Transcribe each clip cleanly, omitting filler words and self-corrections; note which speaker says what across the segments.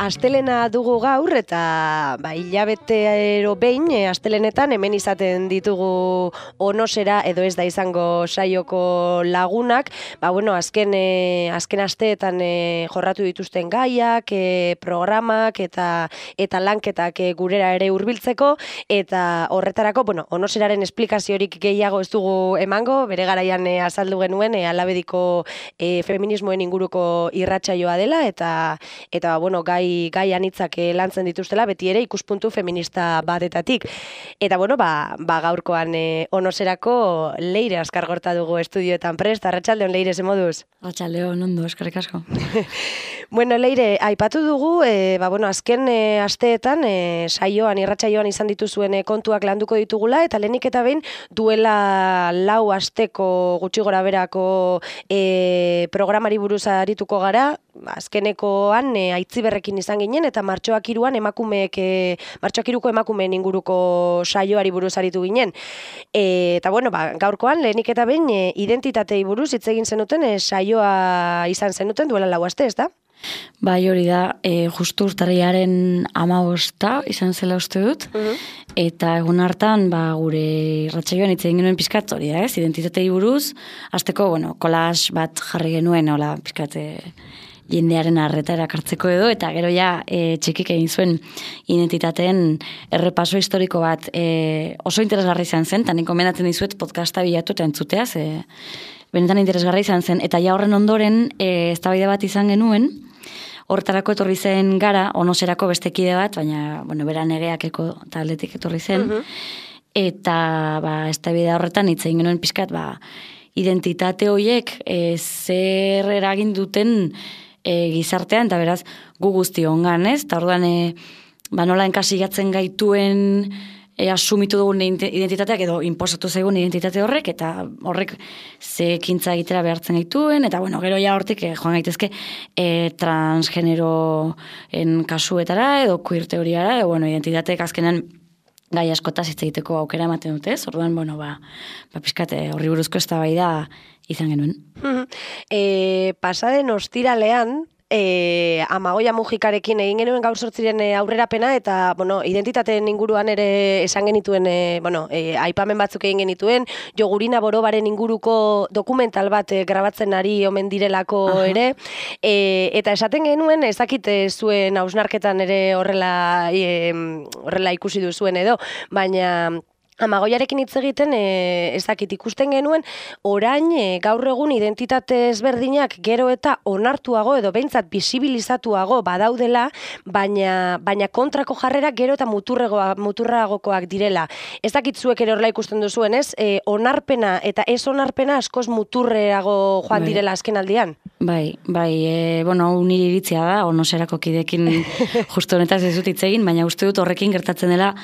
Speaker 1: Astelena dugu gaur eta hilabetero behin astelenetan hemen izaten ditugu Onosera edo ez da izango saioko lagunak. Azken asteetan jorratu dituzten gaiak, programak eta lanketak gurera ere hurbiltzeko eta horretarako, Onoseraren esplikaziorik gehiago ez dugu emango, bere garaian azaldu genuen alabediko feminismoen inguruko irratsaioa dela eta gai anitzak lantzen dituztela, beti ere ikuspuntu feminista batetatik. Eta gaurkoan Onoserako Leire Azkargorta dugu estudioetan prest. Arratsaldeon, Leire, ze moduz?
Speaker 2: Arratsaldeon, ondo, eskerrik asko.
Speaker 1: Leire, aipatu dugu, azken asteetan irratsaioan izan dituzuen kontuak landuko ditugula, eta lehenik eta behin duela 4 asteko gutxi gora berako programari buruz arituko gara. Azkenekoan Aitziberrekin izan ginen eta martxoak 3an emakumeen inguruko saioari buruz aritu ginen. Eta gaurkoan lehenik eta behin identitatei buruz hitz egin zenuten saioa izan zenuten duela 4 aste, ezta?
Speaker 2: Bai, hori da, justu urtarrilaren 15 izan zela uste dut, eta egun hartan gure irratsaioan hitz egin genuen pizkat hori da, identitatei buruz, hasteko, collage bat jarri genuen, pizkat jendearen arreta erakartzeko edo, eta gero txikik egin zuen identitateen errepaso historiko bat oso interesgarri izan zen, eta nik gomendatzen dizuet podcasta bilatu eta entzutea, benetan interesgarri izan zen, eta horren ondoren eztabaida bat izan genuen, horretarako etorri zen gara, Onoserako beste kide bat, baina, bera negeakeko taldetik etorri zen, eta eztabaida horretan hitz egin genuen pizkat, identitate horiek zer eragin duten gizartean, eta beraz gu guzti ongan, ez? Eta orduan, nola enkasilatzen gaituen asumitu dugun identitateak edo inposatu zaigun identitate horrek, eta horrek ze ekintza egitera behartzen gaituen, eta gero hortik joan gaitezke transgeneroen kasuetara edo queer teoriara, identitateek azkenan gai askotaz hitz egiteko aukera ematen dute, ez? Orduan, pizkat horri buruzko eztabaida izan genuen.
Speaker 1: Pasaden ostiralean, Amagoia Mujikarekin egin genuen gaur 8 aurrerapena eta, identitateen inguruan ere esan genituen, aipamen batzuk egin genituen, Jogurina Borobaren inguruko dokumental bat grabatzen ari omen direlako ere, eta esaten genuen, ez dakit zuen hausnarketan ere horrela ikusi duzuen edo, baina Amagoiarekin hitz egiten, ez dakit ikusten genuen, orain gaur egun identitate ezberdinak gero eta onartuago edo behintzat bisibilizatuago badaudela, baina kontrako jarrerak gero eta muturragokoak direla. Ez dakit zuek ere horrela ikusten duzuen, ez? Onarpena eta ez onarpena askoz muturreago joan direla azken aldian?
Speaker 2: Bai, nire iritzia da, Onoserako kidekin justu honetaz ez dut hitz egin, baina uste dut horrekin gertatzen dela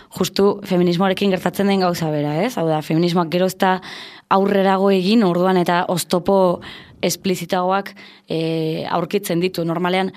Speaker 2: justu feminismoarekin gertatzen den gauza bera, ez? Hau da, feminismoak gero ez da aurrerago egin, orduan eta oztopo esplizitagoak aurkitzen ditu. Normalean,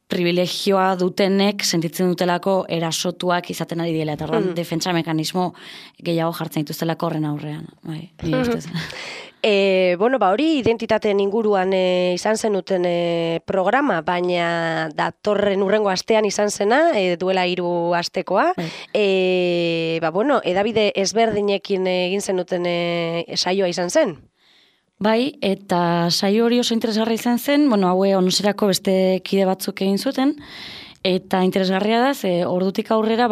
Speaker 2: privilegioa dutenek sentitzen dutelako erasotuak izaten ari dela, eta orduan defentsa mekanismo gehiago jartzen dituztelako horren aurrean. Bai, nire ustez.
Speaker 1: Hori identitateen inguruan izan zenuten programa, baina datorren hurrengo astean izan zena, duela 3 astekoa. Edabide ezberdinekin egin zenuten saioa izan zen.
Speaker 2: Bai, eta saio hori oso interesgarri izan zen, haue Onoserako beste kide batzuk egin zuten, eta interesgarria da, ordutik aurrera,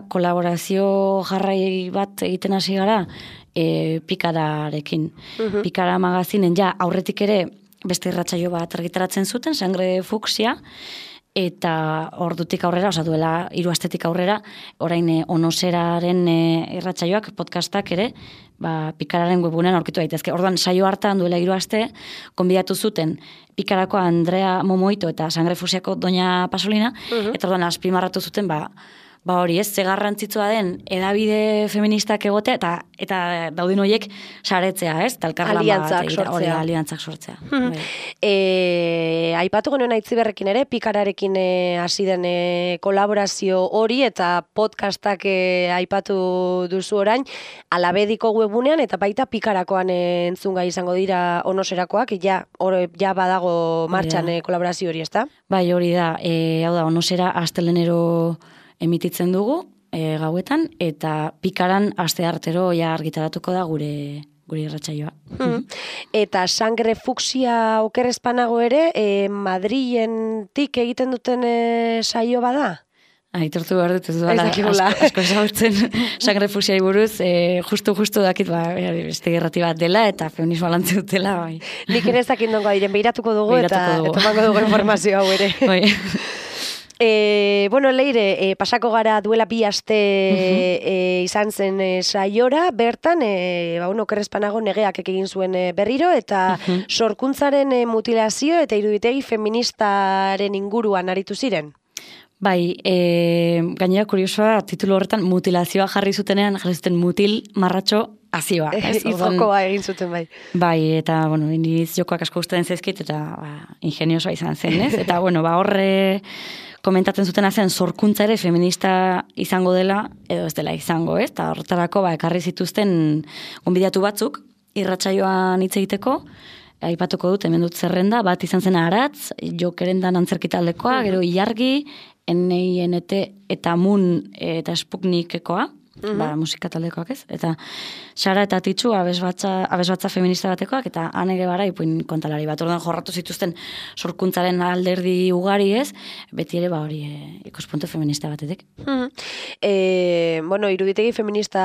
Speaker 2: kolaborazio jarrai bat egiten hasi gara, Pikararekin. Pikara magazinen aurretik ere beste irratsaio bat argitaratzen zuten, Sangre Fuksia, eta ordutik aurrera, duela 3 astetik aurrera, orain Onoseraren irratsaioak, podcastak ere, Pikararen webgunean aurkitu daitezke. Orduan, saio hartan duela 3 aste, konbidatu zuten Pikarako Andrea Momoito eta Sangrefusiako Doña Pasolina, eta orduan azpimarratu zuten, hori ez, ze garrantzitsua den edabide feministak egotea eta dauden horiek saretzea, ez? Aliantzak sortzea.
Speaker 1: Aipatu genuen Aitziberrekin ere, Pikararekin hasi den kolaborazio hori eta podcastak aipatu duzu orain, Alabediko webunean eta baita Pikarakoan entzungai izango dira Onoserakoak, ja badago martxan kolaborazio hori, ezta?
Speaker 2: Bai, hori da, hau da, Onosera astelenero emititzen dugu gauetan, eta Pikaran asteartero argitaratuko da gure irratsaioa.
Speaker 1: Eta Sangre Fuksia okerrezpanago ere, Madrilentik egiten duten saio bada?
Speaker 2: Aitortu behar dut, ez duela asko ezagutzen Sangre Fuksiai buruz, justu dakit, beste gerrati bat dela, eta feminismoa lantzen dutela, bai.
Speaker 1: Nik ere ez dakindongo diren, behiratuko dugu, eta mango dugu informazio hau ere.
Speaker 2: Bai.
Speaker 1: Leire, pasako gara duela 2 aste izan zen saiora, bertan, okerrezpanago negeak egin zuen berriro, eta sorkuntzaren mutilazio eta iruditegi feministaren inguruan aritu ziren.
Speaker 2: Bai, gainera kuriosoa, titulu horretan mutilazioa jarri zutenean, mutil marratxo azioa.
Speaker 1: Izokoa egin zuten, bai.
Speaker 2: Bai, eta, iniz jokoak asko ustean zaizkit, eta ingeniosoa izan zen, ez? Eta, horre komentatzen zutena zen sorkuntza ere feminista izango dela, edo ez dela izango, ez? Eta horretarako, ekarri zituzten gonbidatu batzuk, irratsaioan hitz egiteko, aipatuko dut, hemen dut zerrenda, bat izan zen Aratz, Jokerendan antzerkitaldekoa, gero Ilargi, NINT eta Mun eta Sputnikekoa, musika taldekoak ez, eta Sara eta Titxu abesbatza feminista batekoak, eta Ane Gebara ipuin kontalari bat, orduan jorratu zituzten sorkuntzaren alderdi ugari ez, beti ere hori ikuspuntu feminista batetik.
Speaker 1: Iruditegi feminista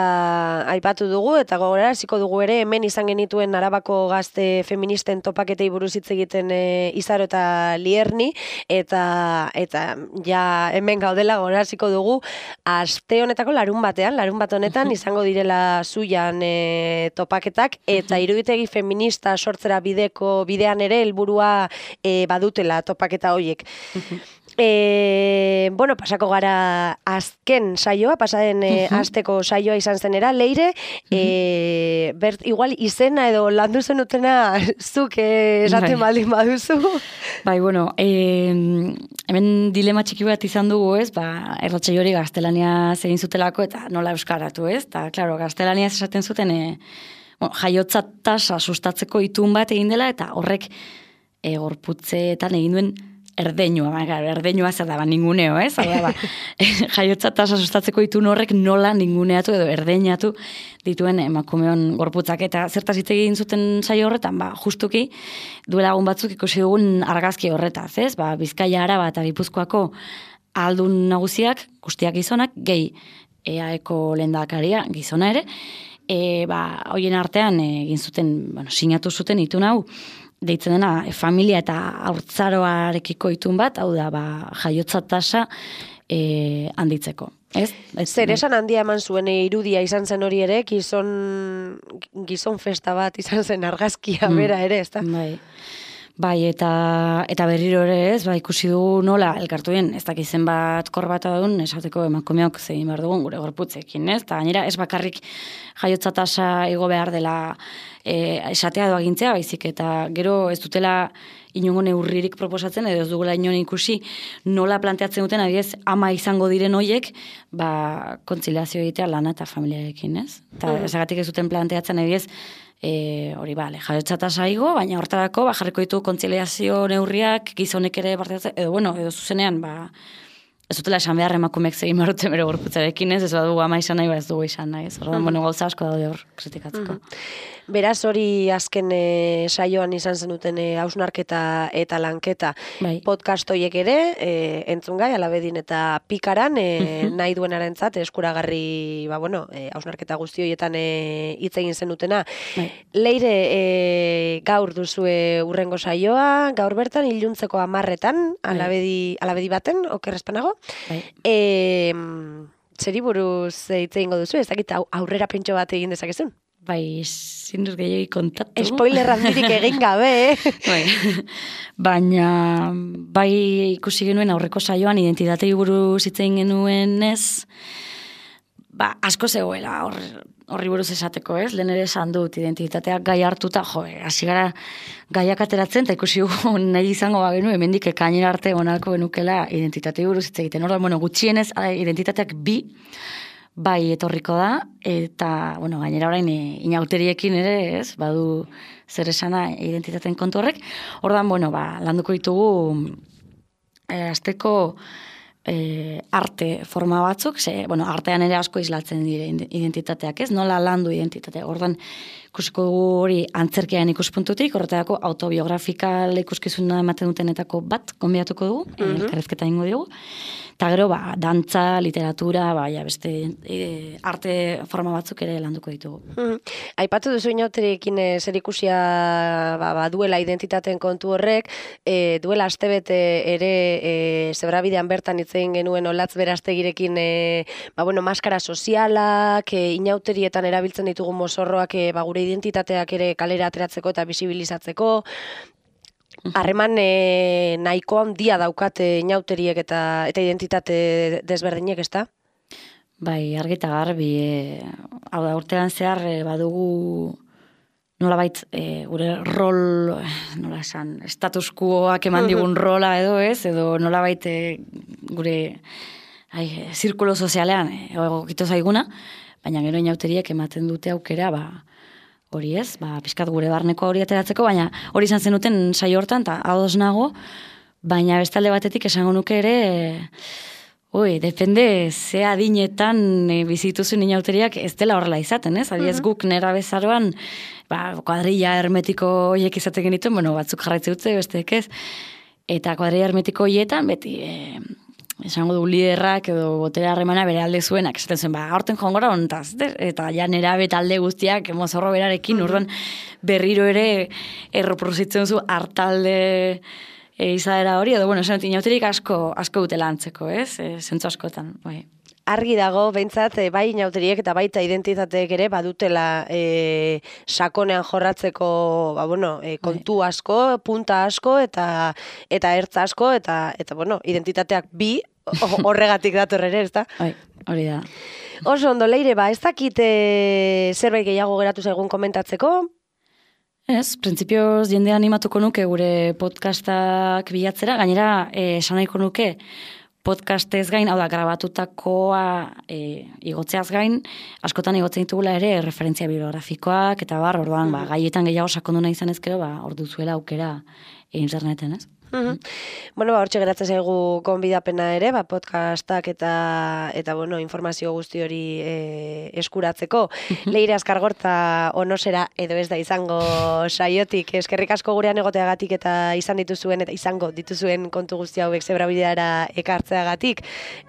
Speaker 1: aipatu dugu, eta gogorara hasiko dugu ere, hemen izan genituen Arabako gazte feministen topaketei buruz hitz egiten Izaro eta Lierni, eta ja hemen gaudela gogorara hasiko dugu, aste honetako larun bat honetan izango direla Zuian topaketak, eta iruditegi feminista sortzera bidean ere helburua badutela topaketa horiek. Pasako gara azken saioa, pasaden asteko saioa izan zenera, Leire, igual izena edo landu zenutena zuk esaten baldin baduzu.
Speaker 2: Bai, hemen dilema txiki bat izan dugu, ez, erratsaio hori gaztelaniaz egin zutelako eta nola euskaratu, ez, eta, klaro, gaztelaniaz esaten zuten jaiotza tasa sustatzeko itun bat egin dela, eta horrek gorputzeetan egin duen erdeinua zer da, ninguneo, ez? Jaiotza tasa sustatzeko itun horrek nola ninguneatu edo erdeinatu dituen emakumeon gorputzak. Eta zertaz hitz egin zuten saio horretan, justuki duela egun batzuk ikusi dugun argazki horretaz, ez? Bizkaia, Araba eta Gipuzkoako ahaldun nagusiak, guztiak gizonak, gehi EAeko lehendakaria gizona ere, hoien artean egin zuten, sinatu zuten itun hau, deitzen dena familia eta haurtzaroarekiko itun bat, hau da, jaiotza tasa handitzeko.
Speaker 1: Zer esan handia eman zuen irudia izan zen hori ere, gizon festa bat izan zen argazkia bera ere, ez da?
Speaker 2: Bai, eta berriro ere ez, ikusi dugu nola, elkartuen, ez dakizen bat korbata duen, esateko emakumeok zegin behar dugun gure gorputzekin, ez? Eta gainera, ez bakarrik jaiotza tasa igo behar dela esatea doa gintzea, baizik, eta gero ez dutela inongo neurririk proposatzen, edo ez dugula inon ikusi nola planteatzen duten, adibidez, ama izango diren hoiek, kontziliazio egitea lana eta familiarekin, ez? Eta esagatik ez duten planteatzen, adibidez, jaiotza tasa igo, baina hortarako jarriko ditu kontziliazio neurriak, gizonek ere parteatzen, edo zuzenean, ez dutela esan behar emakumeek zegin marruten bere gorputzarekin ez badugu ama izan nahi, ez dugu izan nahi, ez orduan, gauza asko daude hor kritikatzeko.
Speaker 1: Beraz hori azken saioan izan zenuten hausnarketa eta lanketa.
Speaker 2: Bai.
Speaker 1: Podcast horiek ere, entzun gai, Alabedin eta Pikaran, nahi duenarentzat eskuragarri, hausnarketa guzti horietan hitz egin zenutena.
Speaker 2: Bai.
Speaker 1: Leire, gaur duzue urrengo saioa, gaur bertan, iluntzeko 10:00, Alabedi baten, okerrezpanago.
Speaker 2: Bai.
Speaker 1: Zeri buruz hitz egingo duzu, ez dakit aurrera pentso bat egin dezakezun?
Speaker 2: Bai, zinduz gehiagi kontatu.
Speaker 1: Spoiler handirik egin gabe,
Speaker 2: Bai. Baina, bai ikusi genuen aurreko saioan identitatei buruz hitz egin genuen ez, asko zegoela horri buruz esateko ez, lehen ere esan dut identitateak gai hartuta, hasi gara gaiak ateratzen, eta ikusi nahi izango bagenu, hemendik ekainera arte onalko genukela identitatei buruz hitz egiten. Orduan, gutxienez identitateak bai etorriko da, eta, gainera orain inauteriekin ere, ez, badu zer esana identitateen kontu horrek. Ordan, landuko ditugu azteko arte forma batzuk, artean ere asko islatzen dire identitateak, ez? Nola landu identitatea. Ordan, ikusiko dugu hori antzerkiaren ikuspuntutik, horretarako autobiografikal ikuskizuna ematen dutenetako bat konbiatuko dugu, elkarrezketa ingo dugu. Eta gero, dantza, literatura, beste arte forma batzuk ere landuko ditugu.
Speaker 1: Aipatu duzu inauteriekin zer ikusia duela identitateen kontu horrek, duela astebete ere Zebrabidean bertan hitz egin genuen Olatz Berastegirekin maskara sozialak, inauterietan erabiltzen ditugu mozorroak gure identitateak ere kalera ateratzeko eta bisibilizatzeko. Harreman nahiko handia daukate inauteriek eta identitate desberdinek, ezta?
Speaker 2: Bai, argi eta garbi, hau da, urtean zehar badugu nolabait gure rol, nola esan, status quoak eman digun rola edo nolabait gure zirkulo sozialean egokito zaiguna, baina gero inauteriek ematen dute aukera, hori ez, pixkat gure barneko hori ateratzeko, baina hori izan zenuten saio hortan, eta ados nago, baina bestalde batetik esango nuke ere, depende ze adinetan bizituzun inauteriak ez dela horrela izaten, ez? Adiez guk nera bezaroan, kuadrilla hermetiko horiek izaten genituen, batzuk jarraitze dutze, besteek ez, eta kuadrilla hermetiko horietan, beti esango du liderrak edo botere harremana bere alde zuenak, esaten zuen, aurten jongora ontaz, eta ja nera betalde guztiak mozorro berarekin, urduan berriro ere erreproduzitzen zu hartalde izaera hori, edo, esan inauterik asko dutela antzeko, ez? Zentzu askotan, bai.
Speaker 1: Argi dago, behintzat, bai inauteriek eta baita identitateek ere badutela sakonean jorratzeko kontu asko, punta asko eta ertza asko, eta identitateak bi horregatik dator ere, ez da?
Speaker 2: Bai, hori da.
Speaker 1: Oso ondo, Leire, ez dakit zerbait gehiago geratu zaigun komentatzeko?
Speaker 2: Ez, printzipioz jende animatuko nuke gure podcastak bilatzera, gainera esan nahiko nuke podcastez gain, hau da, grabatutakoa igotzeaz gain, askotan igotzen ditugula ere referentzia bibliografikoak, eta orduan, gaietan gehiago sakondu nahi izan ezkero, hor duzuela aukera interneten, ez?
Speaker 1: Hortxe geratzen zaigu gonbidapena ere, podcastak eta informazio guzti hori eskuratzeko. Leire Azkargorta onosera edo ez da izango saiotik, eskerrik asko gurean egoteagatik eta izango dituzuen kontu guzti hauek Zebrabideara ekartzeagatik.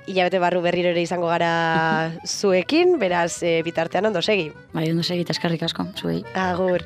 Speaker 1: Hilabete barru berriro ere izango gara zuekin, beraz bitartean ondo segi.
Speaker 2: Bai, ondo segi, eta eskerrik asko, zuei.
Speaker 1: Agur.